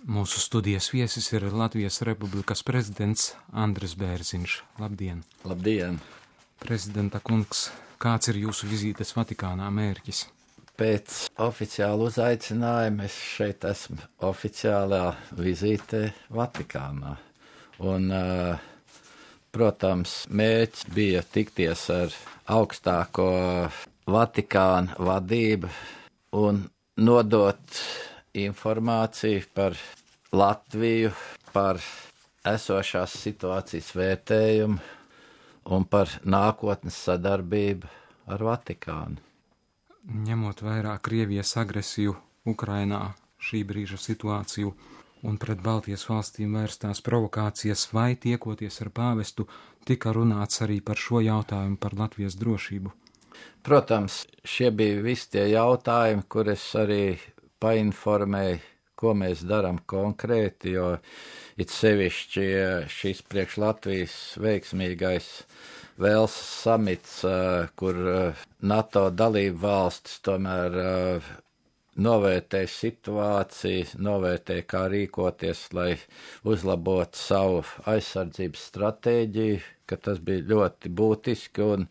Mūsu studijas viesis ir Latvijas Republikas prezidents Andris Bērziņš. Labdien! Labdien! Prezidenta kungs, kāds ir jūsu vizītes Vatikānā mērķis? Pēc oficiāla uzaicinājuma es šeit esmu oficiālā vizītē Vatikānā. Un, protams, mērķis bija tikties ar augstāko Vatikāna vadību un nodot informāciju par Latviju, par esošās situācijas vērtējumu un par nākotnes sadarbību ar Vatikānu. Ņemot vērā Krievijas agresiju Ukrainā, šī brīža situāciju un pret Baltijas valstīm vērstās provokācijas, vai tiekoties ar pāvestu, tika runāts arī par šo jautājumu par Latvijas drošību? Protams, šie bija visi tie jautājumi, kur es arī painformēju, ko mēs darām konkrēti, jo it sevišķi šis priekš Latvijas veiksmīgais Velsas samits, kur NATO dalību valstis tomēr novērtē situāciju, novērtē, kā rīkoties, lai uzlabotu savu aizsardzības stratēģiju, ka tas bija ļoti būtiski un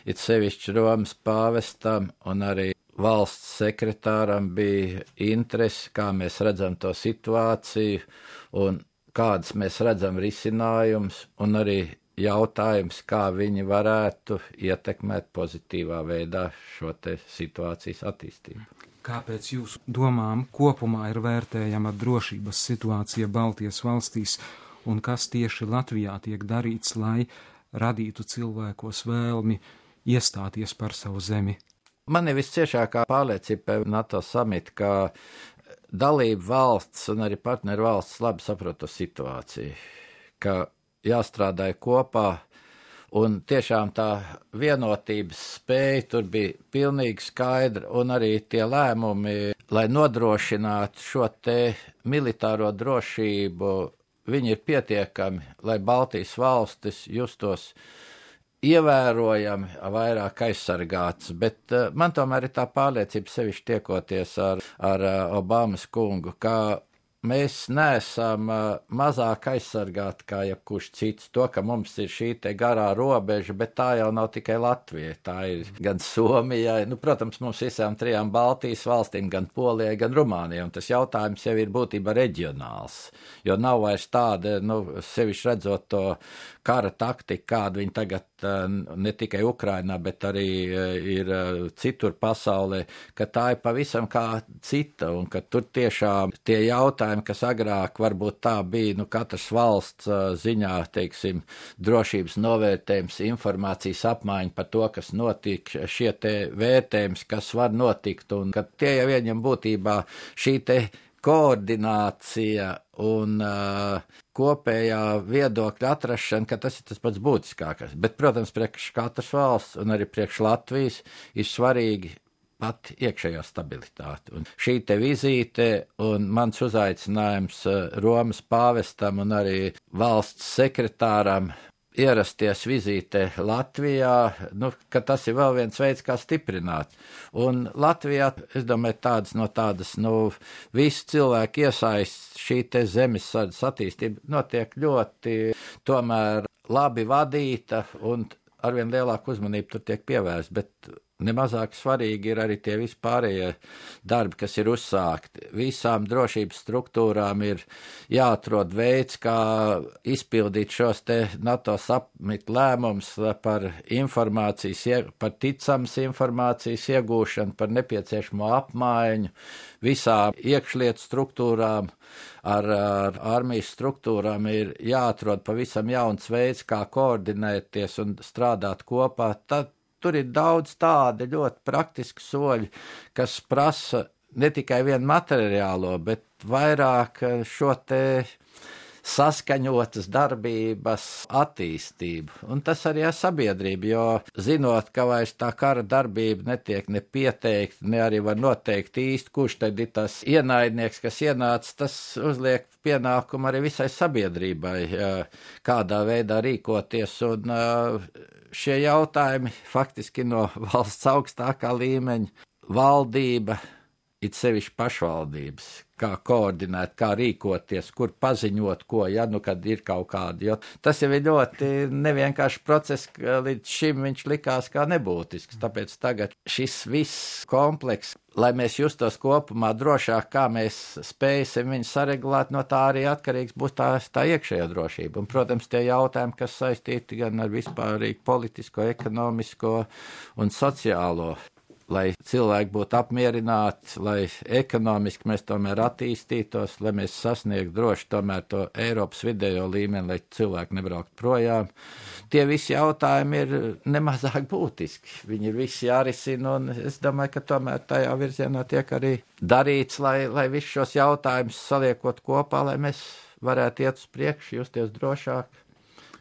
it sevišķi Romas pāvestam un arī valsts sekretāram bija interesi, kā mēs redzam to situāciju un kādas mēs redzam risinājumus un arī jautājums, kā viņi varētu ietekmēt pozitīvā veidā šo te situācijas attīstību. Kāpēc jūsu domām kopumā ir vērtējama drošības situācija Baltijas valstīs un kas tieši Latvijā tiek darīts, lai radītu cilvēkos vēlmi iestāties par savu zemi? Man ir visciešākā pārliecība par NATO samitu, ka dalību valsts un arī partneru valsts labi saprot to situāciju, ka jāstrādāja kopā, un tiešām tā vienotības spēja tur bija pilnīgi skaidra, un arī tie lēmumi, lai nodrošinātu šo te militāro drošību, viņi ir pietiekami, lai Baltijas valstis justos ievērojami vairāk aizsargāts, bet man tomēr ir tā pārliecība sevišķi tiekoties ar Obamas kungu, ka mēs neesam mazāk aizsargāti kā jebkurš cits. To, ka mums ir šī te garā robeža, bet tā jau nav tikai Latvija, tā ir gan Somijai, protams, mums visām trijām Baltijas valstīm, gan Polijai, gan Rumānijai, un tas jautājums jau ir būtībā reģionāls, jo nav vairs tāda, sevišķi redzot to kara taktika, kādu viņi tagad ne tikai Ukrainā, bet arī ir citur pasaulē, ka tā ir pavisam kā cita, un ka tur tiešām tie jautājumi, kas agrāk varbūt tā bija, katras valsts ziņā, teiksim, drošības novērtējums, informācijas apmaiņa par to, kas notiek, šie te vērtējums, kas var notikt, un ka tie jau ieņem būtībā šī te koordinācija un kopējā viedokļa atrašana, ka tas ir tas pats būtiskākais. Bet, protams, priekš katras valsts un arī priekš Latvijas ir svarīgi pat iekšējā stabilitāte. Un šī te vizīte un mans uzaicinājums Romas pāvestam un arī valsts sekretāram ierasties vizītē Latvijā, ka tas ir vēl viens veids, kā stiprināt. Un Latvijā, es domāju, tādas visu cilvēku iesaist šī te zemesardzes attīstība notiek ļoti tomēr labi vadīta un arvien lielāku uzmanību tur tiek pievērsta, bet nemazāk svarīgi ir arī tie vispārējie darbi, kas ir uzsākti. Visām drošības struktūrām ir jāatrod veids, kā izpildīt šos te NATO samitu lēmumus par informācijas, par ticamas informācijas iegūšanu, par nepieciešamo apmaiņu. Visām iekšlietu struktūrām, ar armijas struktūrām ir jāatrod pavisam jauns veids, kā koordinēties un strādāt kopā. Tur ir daudz tādi ļoti praktiski soļi, kas prasa ne tikai vienu materiālo, bet vairāk šo te saskaņotas darbības attīstību. Un tas arī ir sabiedrība, jo zinot, ka vairs tā kara darbība netiek ne pieteikta, ne arī var noteikt īsti, kurš tad ir tas ienaidnieks, kas ienāca, tas uzliek pienākumu arī visai sabiedrībai, kādā veidā rīkoties. Un šie jautājumi faktiski no valsts augstākā līmeņa valdība it sevišķi pašvaldības, kā koordinēt, kā rīkoties, kur paziņot, ko, ja nu kad ir kaut kādi, jo tas jau ir ļoti nevienkārši process, ka līdz šim viņš likās kā nebūtisks, tāpēc tagad šis viss kompleks, lai mēs justos kopumā drošāk, kā mēs spēsim viņu saregulēt, no tā arī atkarīgs būs tā iekšējā drošība. Un, protams, tie jautājumi, kas saistīti gan ar vispārīgu politisko, ekonomisko un sociālo, lai cilvēki būtu apmierināti, lai ekonomiski mēs tomēr attīstītos, lai mēs sasniegtu droši tomēr to Eiropas vidējo līmeni, lai cilvēki nebrauktu projām. Tie visi jautājumi ir nemazāk būtiski. Viņi ir visi jārisina, un es domāju, ka tomēr tajā virzienā tiek arī darīts, lai visus šos jautājumus saliekot kopā, lai mēs varētu iet uz priekšu, justies drošāk,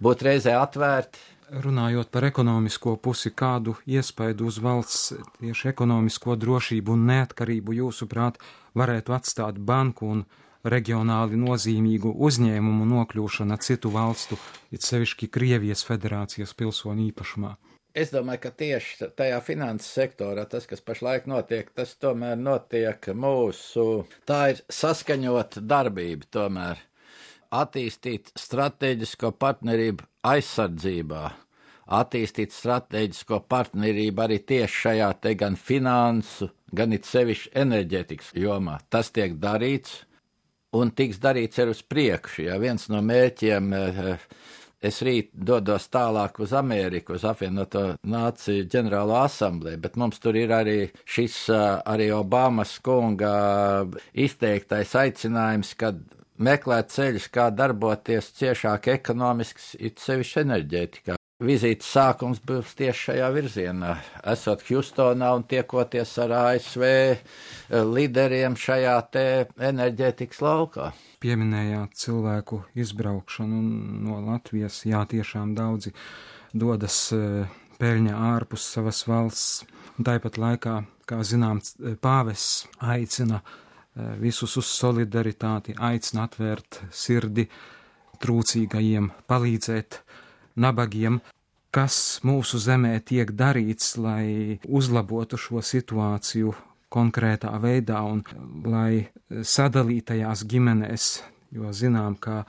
būt reizē atvērti. Runājot par ekonomisko pusi, kādu iespaidu uz valsts tieši ekonomisko drošību un neatkarību jūsuprāt varētu atstāt banku un reģionāli nozīmīgu uzņēmumu nokļūšana citu valstu, it sevišķi Krievijas federācijas pilsoņu īpašumā? Es domāju, ka tieši tajā finanses sektorā tas, kas pašlaik notiek, tas tomēr notiek tā ir saskaņota darbība tomēr. Attīstīt strateģisko partnerību aizsardzībā, attīstīt strateģisko partnerību arī tieši šajā te gan finansu, gan it sevišķi enerģētikas jomā. Tas tiek darīts un tiks darīts ir uz priekšu. Ja viens no mērķiem, es rīt dodos tālāk uz Ameriku, uz apvienoto nāciju ģenerālo asamblēju, bet mums tur ir arī šis arī Obamas kunga izteiktais aicinājums, kad meklēt ceļus, kā darboties ciešāk ekonomisks, it sevišķi enerģētikā. Vizītes sākums būs tieši šajā virzienā, esot Hjustonā un tiekoties ar ASV līderiem šajā te enerģētikas laukā. Pieminējāt cilvēku izbraukšanu no Latvijas, jā, tiešām daudzi dodas peļņā ārpus savas valsts, un tāpat laikā, kā zināms, pāvests aicina visus uz solidaritāti, aicina atvērt sirdi trūcīgajiem, palīdzēt nabagiem. Kas mūsu zemē tiek darīts, lai uzlabotu šo situāciju konkrētā veidā un lai sadalītajās ģimenēs, jo zinām, ka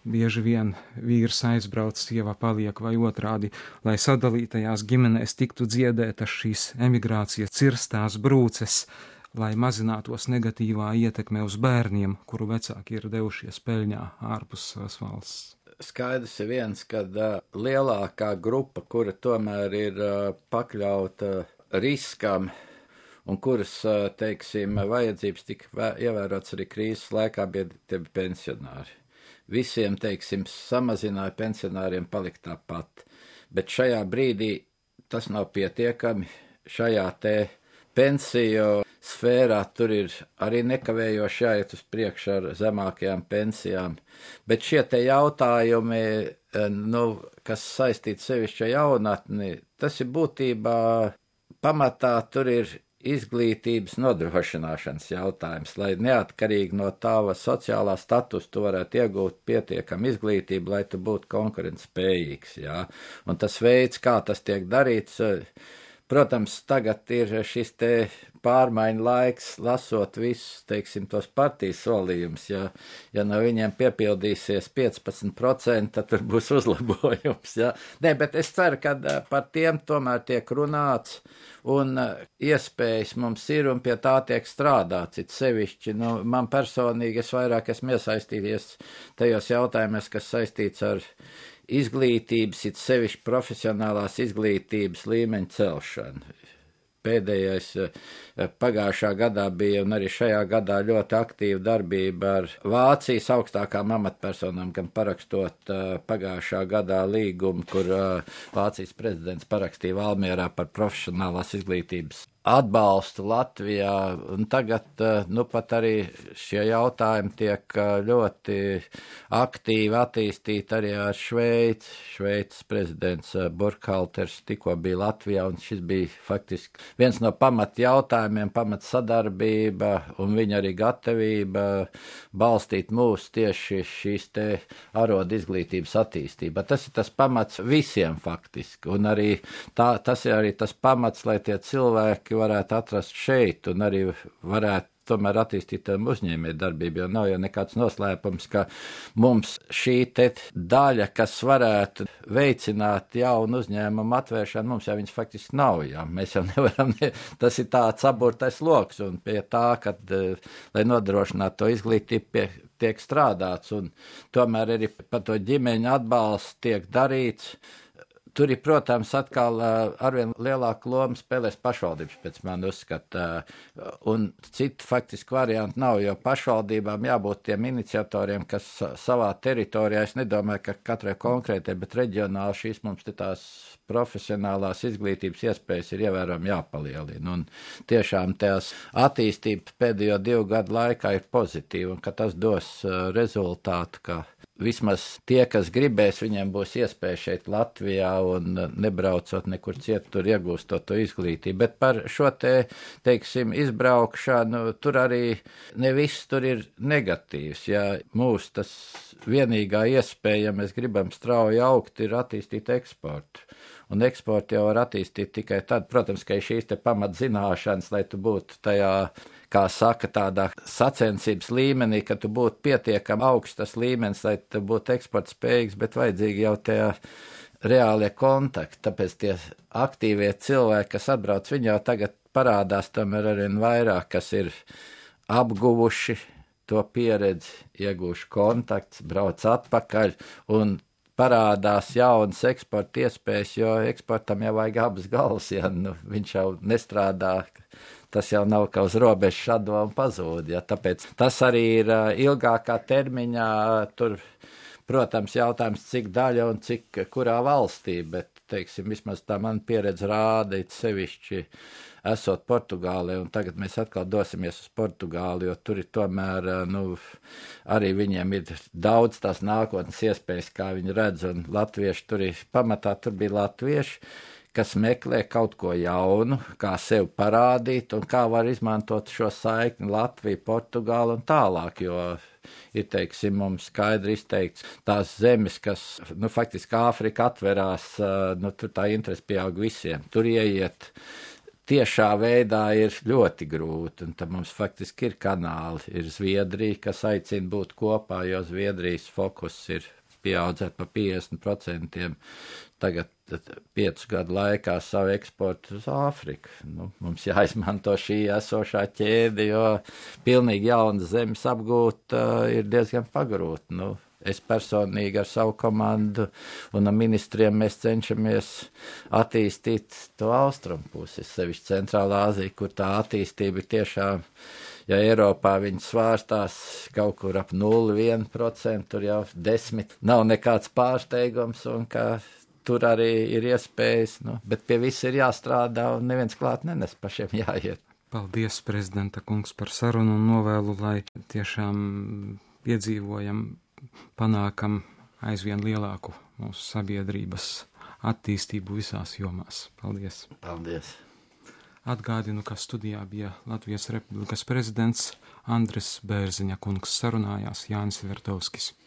bieži vien vīrs aizbrauc, sieva paliek vai otrādi, lai sadalītajās ģimenēs tiktu dziedētas šīs emigrācijas cirstās brūces, lai mazinātos negatīvā ietekme uz bērniem, kuru vecāki ir devušies peļņā ārpus savas valsts. Skaidrs ir viens, ka lielākā grupa, kura tomēr ir pakļauta riskam un kuras, teiksim, vajadzības tika ievērots arī krīzes laikā, bija pensionāri. Visiem, teiksim, samazināja pensionāriem palikt tāpat, bet šajā brīdī tas nav pietiekami. Šajā te pensiju sfērā tur ir arī nekavējoši jāiet uz priekšu ar zemākajām pensijām, bet šie te jautājumi, kas saistīti sevišķi ar jaunatni, tas ir būtībā pamatā tur ir izglītības nodrošināšanas jautājums, lai neatkarīgi no tava sociālā status tu varētu iegūt pietiekam izglītību, lai tu būtu konkurentspējīgs, jā. Un tas veids, kā tas tiek darīts, protams, tagad ir šis te pārmaiņu laiks, lasot visus, teiksim, tos partijas solījumus, ja no viņiem piepildīsies 15%, tad tur būs uzlabojums, jā. Nē, bet es ceru, ka par tiem tomēr tiek runāts, un iespējas mums ir, un pie tā tiek strādāts, it sevišķi, man personīgi es vairāk esmu iesaistījies tajos jautājumos, kas saistīts ar izglītības, it sevišķi profesionālās izglītības līmeņa celšanu. Pēdējais pagājušā gadā bija, un arī šajā gadā ļoti aktīva darbība ar Vācijas augstākām amatpersonām, gan parakstot pagājušā gadā līgumu, kur Vācijas prezidents parakstīja Valmierā par profesionālās izglītības atbalstu Latvijā, un tagad, pat arī šie jautājumi tiek ļoti aktīvi attīstīti arī ar Šveici. Šveices prezidents Burkhalters tikko bija Latvijā, un šis bija faktiski viens no pamat jautājumiem, pamat sadarbība, un viņa arī gatavība balstīt mūs tieši šīs te arodu izglītības attīstībā. Tas ir tas pamats visiem faktiski, un arī tas ir arī tas pamats, lai tie cilvēki varētu atrast šeit un arī varētu tomēr attīstītām uzņēmējdarbību, jo nav jau nekāds noslēpums, ka mums šī te daļa, kas varētu veicināt jaunu uzņēmumu atvēršanu, mums jau viņas faktiski nav, jā. Mēs jau nevaram, tas ir tāds aburtais loks, un pie tā, kad, lai nodrošinātu to izglītību, tiek strādāts, un tomēr arī par to ģimeņu atbalstu tiek darīts. Tur ir, protams, atkal arvien lielāku lomu spēlēs pašvaldības, pēc man uzskata, un citu faktiski variantu nav, jo pašvaldībām jābūt tiem iniciatoriem, kas savā teritorijā, es nedomāju, ka katrai konkrētai, bet reģionāli šīs mums te tās profesionālās izglītības iespējas ir ievērojami jāpalielina, un tiešām tās attīstība pēdējo 2 gadu laikā ir pozitīva, un ka tas dos rezultātu, ka vismaz tie, kas gribēs, viņiem būs iespēja šeit Latvijā un nebraucot nekur citur iegūstot to izglītību. Bet par šo teiksim, izbraukšanu, tur arī ne viss tur ir negatīvs. Ja mūsu tas vienīgā iespēja, ja mēs gribam strauji augt, ir attīstīt eksportu. Un eksportu jau var attīstīt tikai tad, protams, ka ir šīs te pamatzināšanas, lai tu būtu tajā, kā saka, tādā sacensības līmenī, ka tu būtu pietiekami augstas līmenis, lai tu būtu eksporta spējīgs, bet vajadzīgi jau tie reālie kontakti. Tāpēc tie aktīvie cilvēki, kas atbrauc, viņi jau tagad parādās tomēr arvien vairāk, kas ir apguvuši to pieredzi, iegūši kontakts, brauc atpakaļ un parādās jaunas eksporta iespējas, jo eksportam jau vajag abas galvas, ja viņš jau nestrādā, tas jau nav kā uz robežas šado un pazūd, ja, tāpēc tas arī ir ilgākā termiņā, tur, protams, jautājums, cik daļa un cik kurā valstī, bet, teiksim, vismaz tā man pieredze rāda, it sevišķi esot Portugālē, un tagad mēs atkal dosimies uz Portugāli, jo tur ir tomēr, arī viņiem ir daudz tās nākotnes iespējas, kā viņi redz, un latvieši tur ir pamatā, tur bija latvieši, kas meklē kaut ko jaunu, kā sev parādīt, un kā var izmantot šo saikni Latviju, Portugālu un tālāk, jo ir, teiksim, mums skaidri izteikts tās zemes, kas, faktiski Āfrika atverās, tur tā interese pieaug visiem, tur ieiet tiešā veidā ir ļoti grūti, un tad mums faktiski ir kanāli, ir Zviedrija, kas aicina būt kopā, jo Zviedrijas fokus ir pieaudzēt pa 50%, tagad 5 gadu laikā savu eksportu uz Āfriku. Mums jāizmanto šī esošā ķēde, jo pilnīgi jaunas zemes apgūt ir diezgan pagrūti. Es personīgi ar savu komandu un ar ministriem mēs cenšamies attīstīt to austrumu pusi, sevišķi Centrālā Āzija, kur tā attīstība ir tiešām, ja Eiropā viņi svārstās kaut kur ap 0,1%, tur jau 10% nav nekāds pārsteigums, un ka tur arī ir iespējas, bet pie viss ir jāstrādā un neviens klāt nenes, pašiem jāiet. Paldies, prezidenta kungs, par sarunu un novēlu, lai tiešām piedzīvojam, panākam aizvien lielāku mūsu sabiedrības attīstību visās jomās. Paldies! Paldies! Atgādinu, ka studijā bija Latvijas Republikas prezidents Andris Bērziņa kungs, sarunājās Jānis Vertovskis.